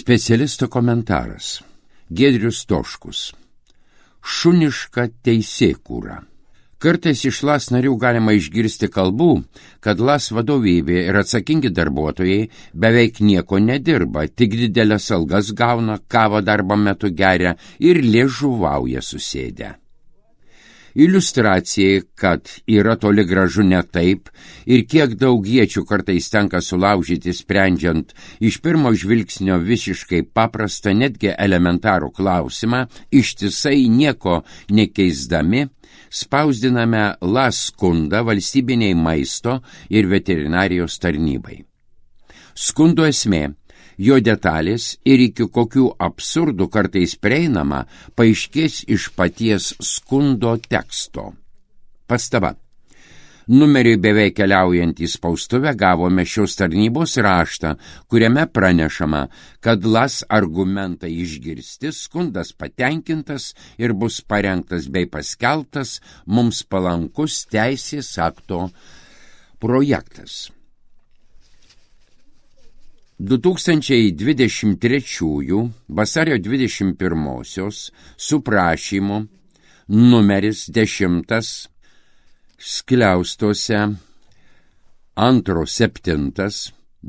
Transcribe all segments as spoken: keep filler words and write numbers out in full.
Specialisto komentaras. Giedrius Toškus. Šuniška teisėkūra. Kartais iš L A S narių galima išgirsti kalbų, kad L A S vadovybė ir atsakingi darbuotojai beveik nieko nedirba, tik didelės algas gauna, kavą darbo metu geria ir liežuvauja susėdę. Iliustracijai, kad yra toli gražu ne taip ir kiek daug iečių kartais tenka sulaužyti sprendžiant iš pirmo žvilgsnio visiškai paprastą, netgi elementarų klausimą, ištisai nieko nekeisdami, spausdiname L A S skundą valstybiniai maisto ir veterinarijos tarnybai. Skundo esmė, jo detalės ir iki kokių absurdų kartais prieinama paaiškės iš paties skundo teksto. Pastaba. Numeriui beveik keliaujant į spaustuvę gavome šios tarnybos raštą, kuriame pranešama, kad L A S argumentai išgirsti, skundas patenkintas ir bus parengtas bei paskelbtas mums palankus teisės akto projektas. du tūkstančiai dvidešimt trečiųjų vasario dvidešimt pirmosios su prašymu numeris dešimtas skliaustuose antro septintas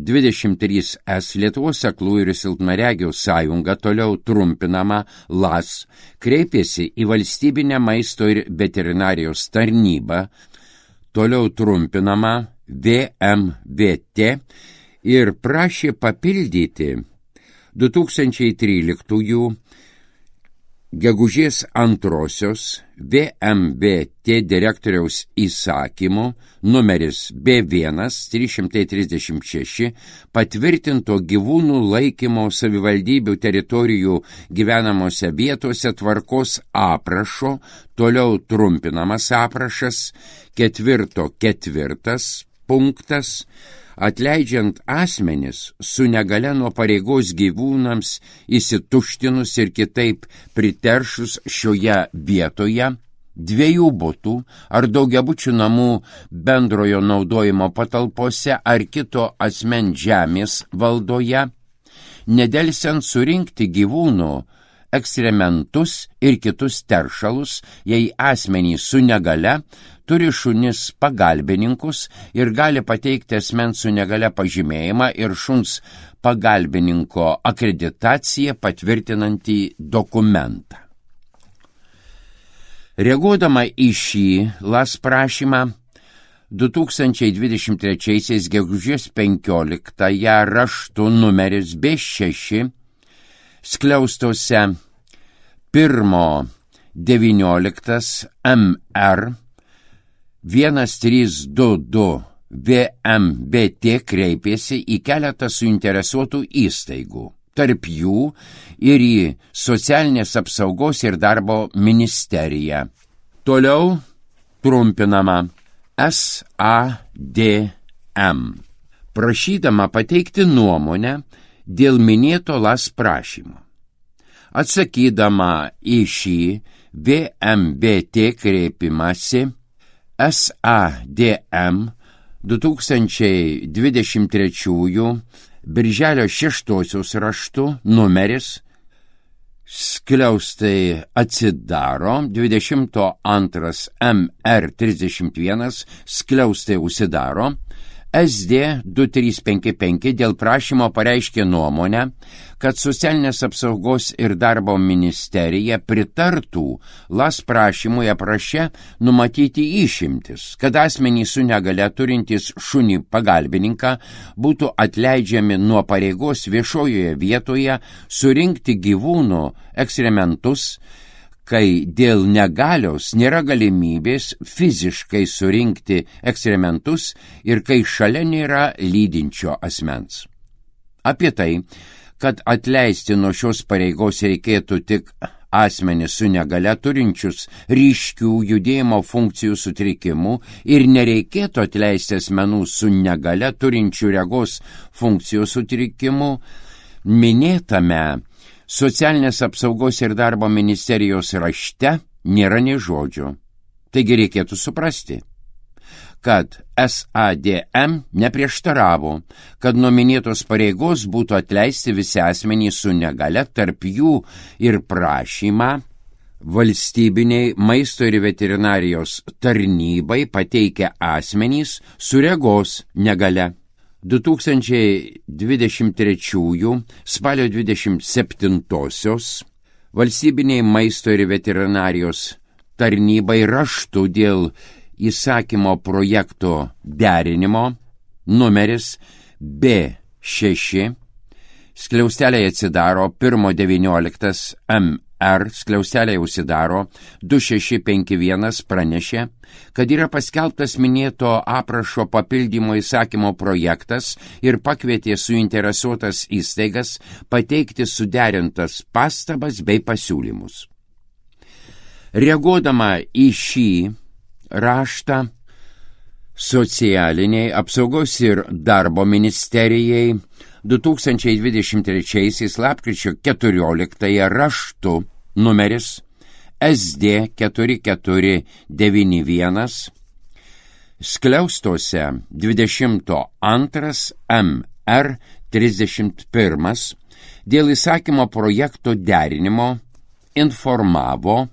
dvidešimt trys S Lietuvos aklųjų ir silpnaregių sąjunga, toliau trumpinama L A S, kreipėsi į valstybinę maisto ir veterinarijos tarnybą, toliau trumpinama V M V T, ir prašė papildyti du tūkstančiai tryliktųjų gegužės antrosios V M V T direktoriaus įsakymu numeris B vienas trys šimtai trisdešimt šeši patvirtinto gyvūnų laikymo savivaldybių teritorijų gyvenamose vietose tvarkos aprašo, toliau trumpinamas aprašas, ketvirto ketvirtas punktas, atleidžiant asmenis su negale nuo pareigos gyvūnams įsituštinus ir kitaip priteršus šioje vietoje, dviejų butų ar daugiabučių namų bendrojo naudojimo patalpose ar kito asmens žemės valdoje, nedelsiant surinkti gyvūnų ekskrementus ir kitus teršalus, jei asmenys su negale turi šunis pagalbininkus ir gali pateikti asmens su negale pažymėjimą ir šuns pagalbininko akreditaciją patvirtinantį dokumentą. Reaguodama į šį L A S prašymą, du tūkstančiai dvidešimt trečiaisiais gegužės penkioliktąją raštu numeris B šeši skliaustuose pirmo devynioliktas M R vienas trys du du V M V T kreipėsi į keletą suinteresuotų įstaigų, tarp jų ir į Socialinės apsaugos ir darbo ministeriją. Toliau trumpinama S A D M, prašydama pateikti nuomonę dėl minėto L A S prašymo. Atsakydama į šį V M V T kreipimąsi, S A D M du tūkstančiai dvidešimt trečiųjų birželio šeštosios raštu numeris skliaustai atsidaro, dvidešimt antras M R trisdešimt vienas skliaustai užsidaro, S D du trys penki penki dėl prašymo pareiškė nuomonę, kad Socialinės apsaugos ir darbo ministerija pritartų L A S prašymui apraše numatyti išimtis, kad asmenys su negale turintys šunį pagalbininką būtų atleidžiami nuo pareigos viešojoje vietoje surinkti gyvūnų ekskrementus, kai dėl negalios nėra galimybės fiziškai surinkti ekskrementus ir kai šalia nėra lydinčio asmens. Apie tai, kad atleisti nuo šios pareigos reikėtų tik asmenis su negale turinčius ryškių judėjimo funkcijų sutrikimų ir nereikėtų atleisti asmenų su negale turinčių regos funkcijų sutrikimų, minėtame Socialinės apsaugos ir darbo ministerijos rašte nėra nė žodžio. Taigi reikėtų suprasti, kad S A D M neprieštaravo, kad nuo minėtos pareigos būtų atleisti visi asmenys su negale, tarp jų ir prašymą valstybiniai maisto ir veterinarijos tarnybai pateikę asmenys su regos negale. du tūkstančiai dvidešimt trečiųjų spalio dvidešimt septintosios valstybiniai maisto ir veterinarijos tarnybai raštu dėl įsakymo projekto derinimo numeris B šeši skliausteliai atsidaro pirmo devynioliktas M R skliausteliai užsidaro du šeši penki vienas pranešė, kad yra paskelbtas minėto aprašo papildymo įsakymo projektas ir pakvietė suinteresuotas įstaigas pateikti suderintas pastabas bei pasiūlymus. Reaguodama į šį raštą, socialiniai apsaugos ir darbo ministerijai du tūkstančiai dvidešimt trečiaisiais lapkričio keturioliktąją raštu numeris S D keturi keturi devyni vienas skliaustuose dvidešimto antras M R trisdešimt pirmas dėl įsakymo projekto derinimo informavo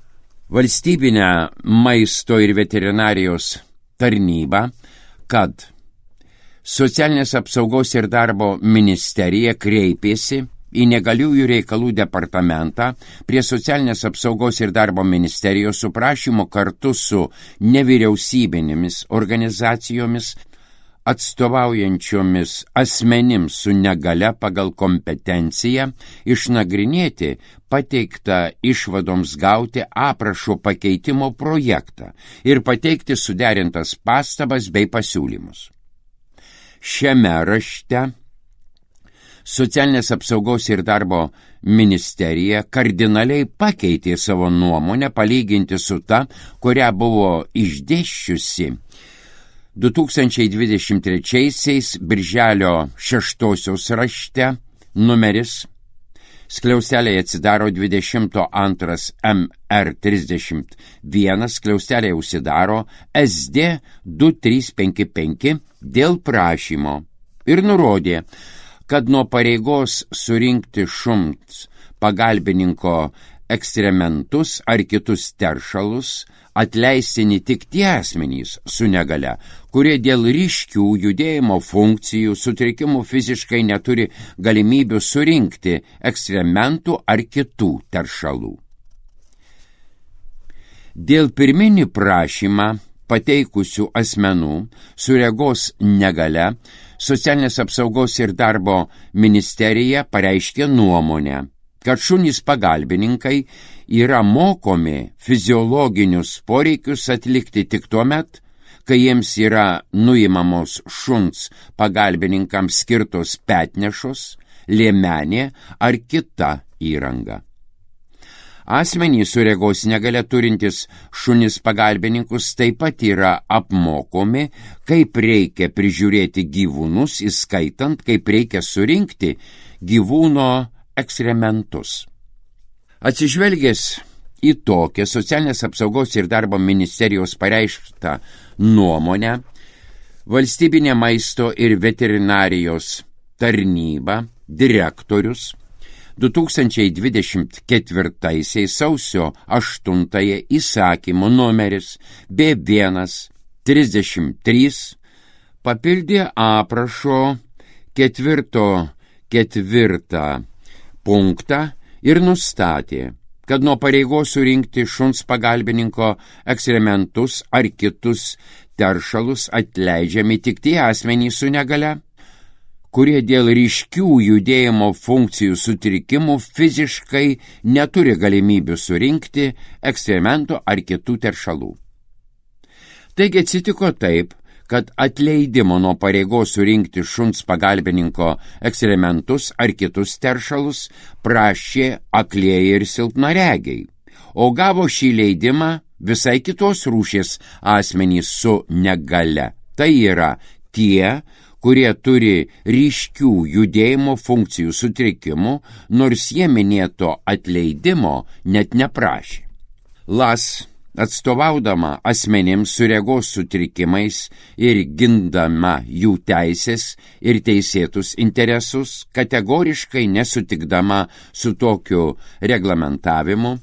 valstybinę maisto ir veterinarijos tarnybą, kad Socialinės apsaugos ir darbo ministerija kreipėsi į negaliųjų reikalų departamentą prie Socialinės apsaugos ir darbo ministerijos su prašymu kartu su nevyriausybinėmis organizacijomis atstovaujančiomis asmenims su negale pagal kompetenciją išnagrinėti pateiktą išvadoms gauti aprašo pakeitimo projektą ir pateikti suderintas pastabas bei pasiūlymus. Šiame rašte Socialinės apsaugos ir darbo ministerija kardinaliai pakeitė savo nuomonę palyginti su ta, kurią buvo išdėsčiusi du tūkstančiai dvidešimt trečiaisiais birželio šeštosios rašte numeris skliausteliai atsidaro dvidešimto antras M R trisdešimt vienas, skliausteliai užsidaro S D du trys penki penki dėl prašymo ir nurodė, kad nuo pareigos surinkti šuns pagalbininko ekstrementus ar kitus teršalus atleistini tik tie asmenys su negale, kurie dėl ryškių judėjimo funkcijų sutrikimų fiziškai neturi galimybių surinkti ekstrementų ar kitų teršalų. Dėl pirminį prašymą pateikusių asmenų su regos negale Socialinės apsaugos ir darbo ministerija pareiškė nuomonę, kad šunys pagalbininkai yra mokomi fiziologinius poreikius atlikti tik tuo met, kai jiems yra nuimamos šuns pagalbininkams skirtos petnešos, liemenė ar kita įranga. Asmenys su regos negale turintis šunis pagalbininkus taip pat yra apmokomi, kaip reikia prižiūrėti gyvūnus, įskaitant, kaip reikia surinkti gyvūno ekstrementus. Atsižvelgęs į tokią Socialinės apsaugos ir darbo ministerijos pareišktą nuomonę, valstybinė maisto ir veterinarijos tarnyba, direktorius, du tūkstančiai dvidešimt ketvirtaisiais sausio aštuntąją įsakymo numeris B vienas trisdešimt trys papildė aprašo ketvirto ketvirtą punktą ir nustatė, kad nuo pareigos surinkti šuns pagalbininko ekstrementus ar kitus teršalus atleidžiami tik tie asmenys su negale, kurie dėl ryškių judėjimo funkcijų sutrikimų fiziškai neturi galimybių surinkti ekstrementų ar kitų teršalų. Taigi atsitiko taip, kad atleidimo nuo pareigos surinkti šuns pagalbininko ekstrementus ar kitus teršalus prašė aklieji ir silpnaregiai, o gavo šį leidimą visai kitos rūšies asmenys su negale. Tai yra tie, kurie turi ryškių judėjimo funkcijų sutrikimų, nors jie minėto atleidimo net neprašė. L A S atstovaudama asmenims su regos sutrikimais ir gindama jų teisės ir teisėtus interesus, kategoriškai nesutikdama su tokiu reglamentavimu,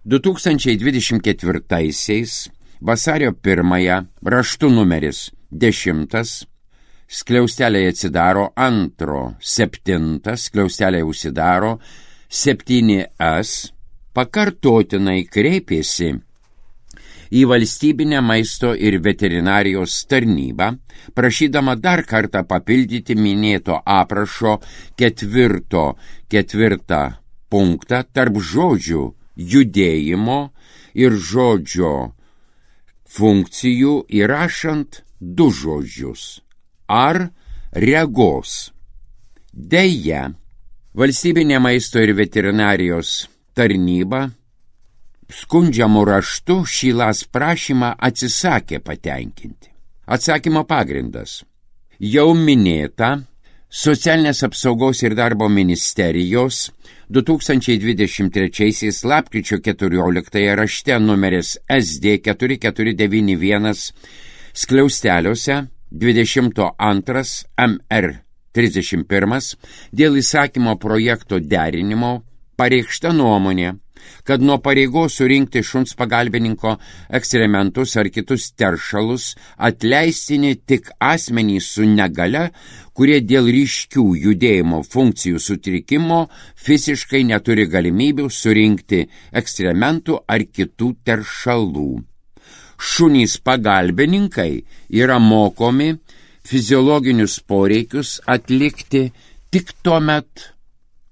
du tūkstančiai dvidešimt ketvirtaisiais vasario pirmąją raštu numeris dešimtas, skliausteliai atsidaro antro, septintas, skliausteliai užsidaro septyni es, pakartotinai kreipėsi į valstybinę maisto ir veterinarijos tarnybą, prašydama dar kartą papildyti minėto aprašo ketvirto ketvirtą punktą tarp žodžių judėjimo ir žodžio funkcijų įrašant du žodžius ar regos. Deja, valstybinė maisto ir veterinarijos tarnyba skundžiamų raštu šį las prašymą atsisakė patenkinti. Atsakymo pagrindas. Jau minėta Socialinės apsaugos ir darbo ministerijos du tūkstančiai dvidešimt trečiaisiais lapkričio keturioliktąją rašte numeris es de keturi keturi devyni vienas skliausteliuose dvidešimt antras em er trisdešimt pirmas dėl įsakymo projekto derinimo pareikšta nuomonė, kad nuo pareigos surinkti šuns pagalbininko ekskrementus ar kitus teršalus atleistini tik asmenys su negale, kurie dėl ryškių judėjimo funkcijų sutrikimo fiziškai neturi galimybių surinkti ekskrementų ar kitų teršalų. Šunys pagalbininkai yra mokomi fiziologinius poreikius atlikti tik tuomet,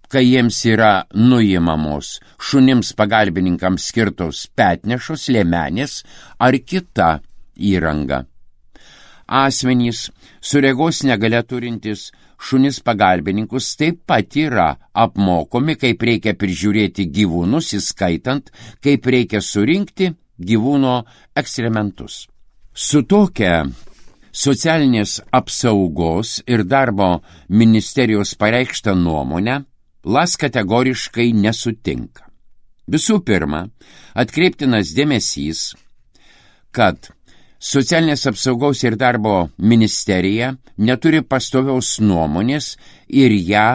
kai jiems yra nuimamos šunims pagalbininkams skirtos petnešos, liemenės ar kita įranga. Asmenys su regos negalia turintys šunis pagalbininkus taip pat yra apmokomi, kaip reikia prižiūrėti gyvūnus, įskaitant, kaip reikia surinkti gyvūno ekskrementus. Su tokia Socialinės apsaugos ir darbo ministerijos pareikšta nuomonė las kategoriškai nesutinka. Visų pirma, atkreiptinas dėmesys, kad Socialinės apsaugos ir darbo ministerija neturi pastoviaus nuomonės ir ją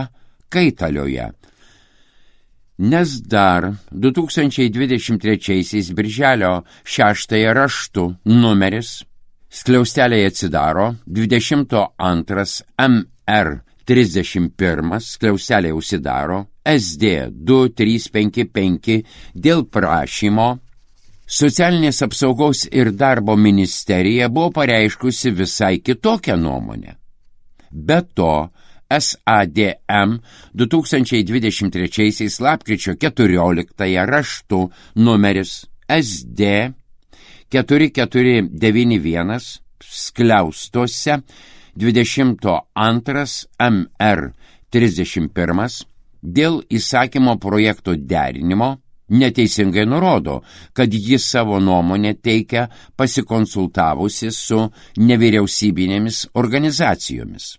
kaitalioja. Nes dar du tūkstančiai dvidešimt trečiaisiais birželio šeštąją raštu numeris skliausteliai atsidaro dvidešimt antras em er trisdešimt pirmas skliausteliai užsidaro es de du trys penki penki dėl prašymo Socialinės apsaugos ir darbo ministerija buvo pareiškusi visai kitokią nuomonę. Be to, es a de em du tūkstančiai dvidešimt trečiaisiais lapkričio keturioliktąją raštu numeris es de keturi keturi devyni vienas skliaustuose dvidešimt antras em er trisdešimt pirmas dėl įsakymo projekto derinimo neteisingai nurodo, kad jis savo nuomonę teikia pasikonsultavusi su nevyriausybinėmis organizacijomis.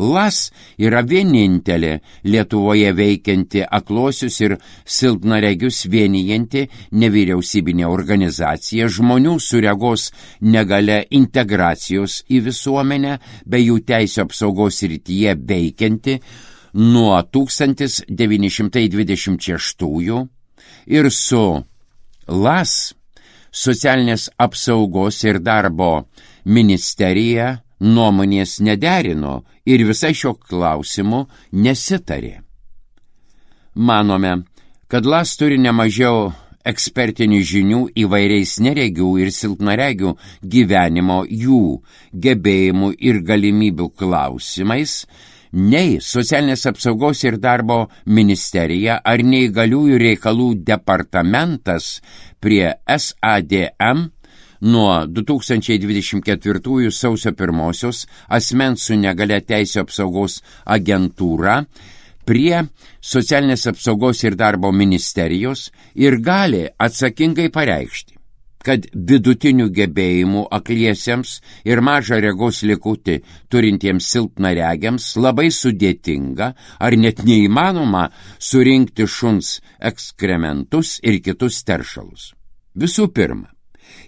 las yra vienintelė Lietuvoje veikianti akluosius ir silpnaregius vienijanti nevyriausybinė organizacija žmonių su regos negalia integracijos į visuomenę bei jų teisių apsaugos srityje veikianti nuo tūkstantis devyni šimtai dvidešimt šeštųjų ir su las Socialinės apsaugos ir darbo ministerija nuomonės nederino ir visai šio klausimu nesitarė. Manome, kad las turi nemažiau ekspertinių žinių įvairiais neregių ir silpnaregių gyvenimo, jų gebėjimų ir galimybių klausimais, nei Socialinės apsaugos ir darbo ministerija ar neįgaliųjų reikalų departamentas prie es a de em nuo du tūkstančiai dvidešimt ketvirtųjų sausio pirmosios asmens su negalia teisių apsaugos agentūra prie Socialinės apsaugos ir darbo ministerijos ir gali atsakingai pareikšti, kad vidutinių gebėjimų akliesiems ir mažą regos likutį turintiems silpnaregiams labai sudėtinga ar net neįmanoma surinkti šuns ekskrementus ir kitus teršalus. Visų pirma,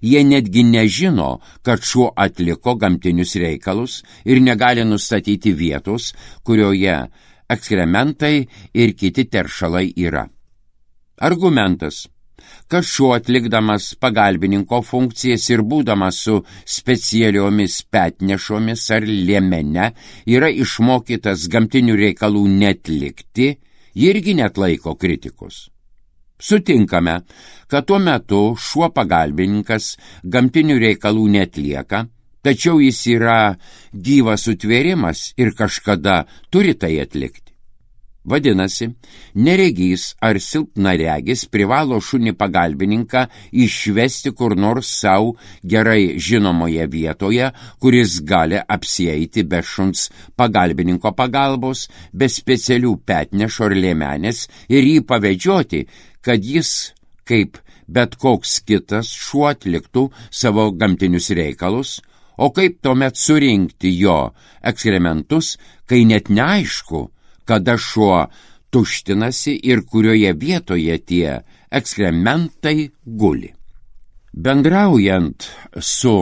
jie netgi nežino, kad šuo atliko gamtinius reikalus ir negali nustatyti vietos, kurioje ekskrementai ir kiti teršalai yra. Argumentas, kad šuo atlikdamas pagalbininko funkcijas ir būdamas su specialiomis petnešomis ar liemene yra išmokytas gamtinių reikalų netlikti, irgi netlaiko kritikos. Sutinkame, kad tuo metu šuo pagalbininkas gamtinių reikalų netlieka, tačiau jis yra gyvas sutvėrimas ir kažkada turi tai atlikti. Vadinasi, neregys ar silpnaregis privalo šunį pagalbininką išvesti kur nors savo gerai žinomoje vietoje, kuris gali apsieiti be šuns pagalbininko pagalbos, be specialių petnešo ar liemenės ir jį pavedžioti, kad jis, kaip bet koks kitas, šuo atliktų savo gamtinius reikalus, o kaip tuomet surinkti jo ekskrementus, kai net neaišku, kada šuo tuštinasi ir kurioje vietoje tie ekskrementai guli. Bendraujant su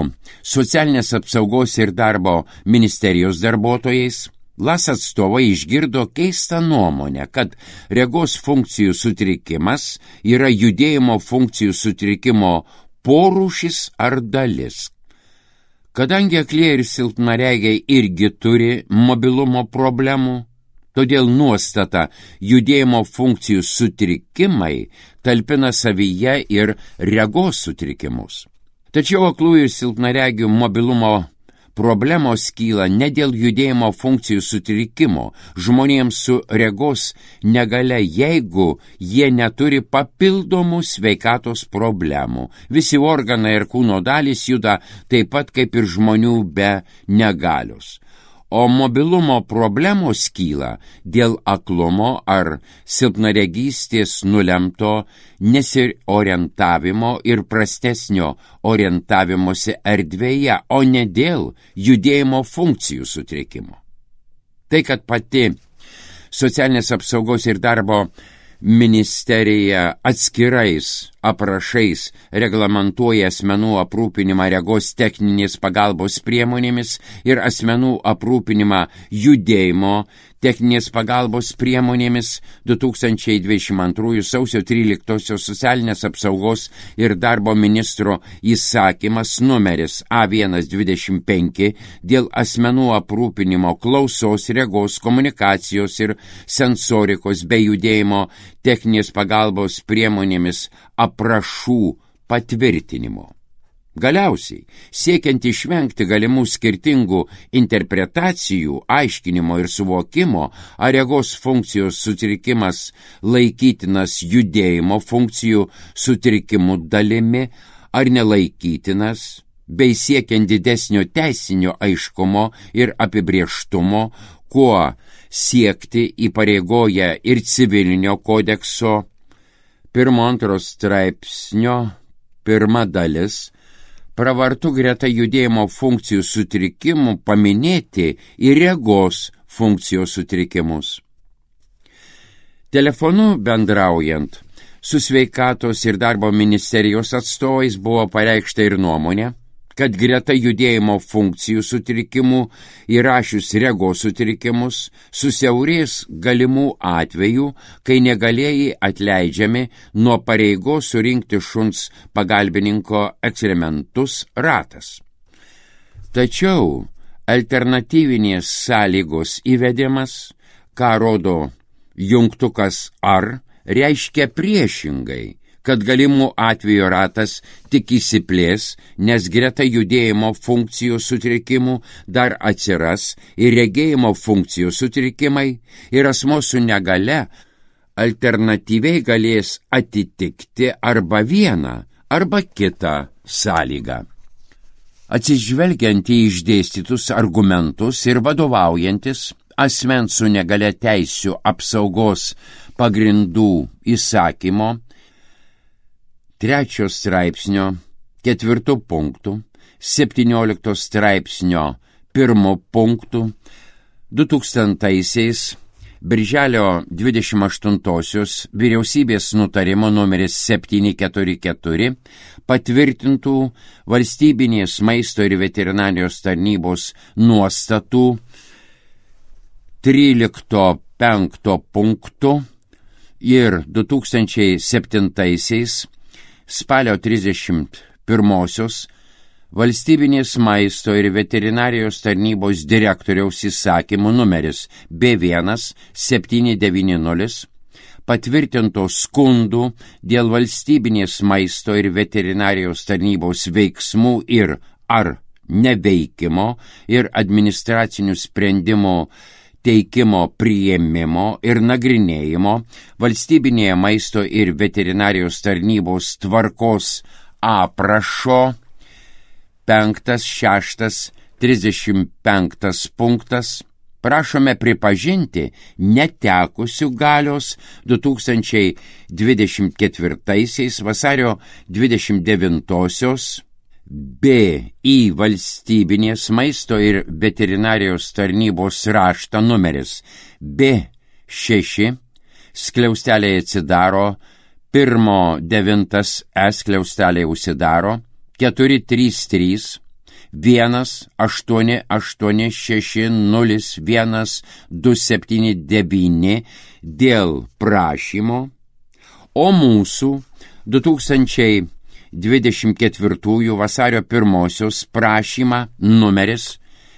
Socialinės apsaugos ir darbo ministerijos darbuotojais, L A S atstovai išgirdo keistą nuomonę, kad regos funkcijų sutrikimas yra judėjimo funkcijų sutrikimo porūšis ar dalis. Kadangi aklieji ir silpnaregiai irgi turi mobilumo problemų, todėl nuostata judėjimo funkcijų sutrikimai talpina savyje ir regos sutrikimus. Tačiau aklųjų ir silpnaregių mobilumo problemos kyla ne dėl judėjimo funkcijų sutrikimo žmonėms su regos negalia, jeigu jie neturi papildomų sveikatos problemų. Visi organai ir kūno dalys juda taip pat kaip ir žmonių be negalios. O mobilumo problemos kyla dėl aklumo ar silpnaregystės nulemto nesiorientavimo ir prastesnio orientavimosi erdvėje, o ne dėl judėjimo funkcijų sutrikimo. Tai, kad pati Socialinės apsaugos ir darbo ministerija atskirais aprašais reglamentuoja asmenų aprūpinimą regos techninės pagalbos priemonėmis ir asmenų aprūpinimą judėjimo techninės pagalbos priemonėmis, du tūkstančiai dvidešimt antrųjų sausio tryliktosios Socialinės apsaugos ir darbo ministro įsakymas numeris A vienas dvidešimt penki dėl asmenų aprūpinimo klausos, regos, komunikacijos ir sensorikos bei judėjimo techninės pagalbos priemonėmis aprašų patvirtinimo. Galiausiai, siekiant išvengti galimų skirtingų interpretacijų, aiškinimo ir suvokimo, ar regos funkcijos sutrikimas laikytinas judėjimo funkcijų sutrikimų dalimi, ar nelaikytinas, bei siekiant didesnio teisinio aiškumo ir apibrieštumo, kuo siekti įpareigoja ir civilinio kodekso pirmo antro straipsnio pirma dalis, pravartu greta judėjimo funkcijų sutrikimų paminėti ir regos funkcijos sutrikimus. Telefonu bendraujant su sveikatos ir darbo ministerijos atstovais buvo pareikšta ir nuomonė, kad greta judėjimo funkcijų sutrikimų įrašius regos sutrikimus susiaurės galimų atvejų, kai negalėjai atleidžiami nuo pareigos surinkti šuns pagalbininko ekskrementus ratas. Tačiau alternatyvinės sąlygos įvedimas, ką rodo jungtukas ar, reiškia priešingai, kad galimų atvejų ratas tik įsiplės, nes greta judėjimo funkcijų sutrikimų dar atsiras ir regėjimo funkcijų sutrikimai ir asmuo su negale alternatyviai galės atitikti arba vieną, arba kitą sąlygą. Atsižvelgiant į išdėstytus argumentus ir vadovaujantis asmens su negale teisių apsaugos pagrindų įsakymo, trečio straipsnio ketvirtų punktų, septyniolikto straipsnio pirmo punktų, du tūkstantaisiais Birželio dvidešimt aštuntosios vyriausybės nutarimo numeris septyni keturi keturi patvirtintų valstybinės maisto ir veterinarijos tarnybos nuostatų trylikto penkto punktų ir du tūkstančiai septintaisiais spalio trisdešimt pirmosios valstybinės maisto ir veterinarijos tarnybos direktoriaus įsakymų numeris B vienas septyni devyni nulis patvirtinto skundų dėl valstybinės maisto ir veterinarijos tarnybos veiksmų ir ar neveikimo ir administracinių sprendimų teikimo priėmimo ir nagrinėjimo valstybinėje maisto ir veterinarijos tarnybos tvarkos aprašo penktas, šeštas, trisdešimt penktas punktas prašome pripažinti netekusių galios du tūkstančiai dvidešimt ketvirtaisiais vasario dvidešimt devintosios B į valstybinės maisto ir veterinarijos tarnybos raštą numeris B šeši skliausteliai atsidaro, pirmo devintas E skliausteliai užsidaro, keturi trys trys vienas aštuoni aštuoni šeši nulis vienas du septyni devyni dėl prašymo, o mūsų du tūkstančiai dvidešimt ketvirtųjų vasario pirmosios prašymą numeris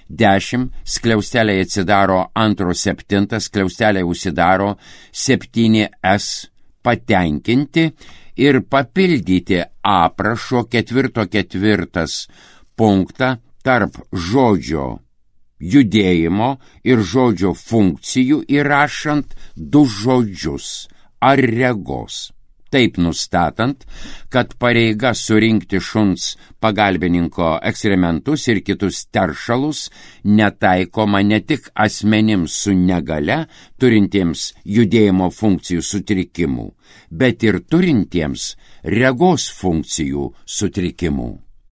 dešimt skliausteliai atsidaro antro septintas skliausteliai užsidaro septyni S patenkinti ir papildyti aprašo ketvirto ketvirtas punktą tarp žodžio judėjimo ir žodžio funkcijų įrašant du žodžius ar regos. Taip nustatant, kad pareiga surinkti šuns pagalbininko ekskrementus ir kitus teršalus netaikoma ne tik asmenims su negale turintiems judėjimo funkcijų sutrikimų, bet ir turintiems regos funkcijų sutrikimų.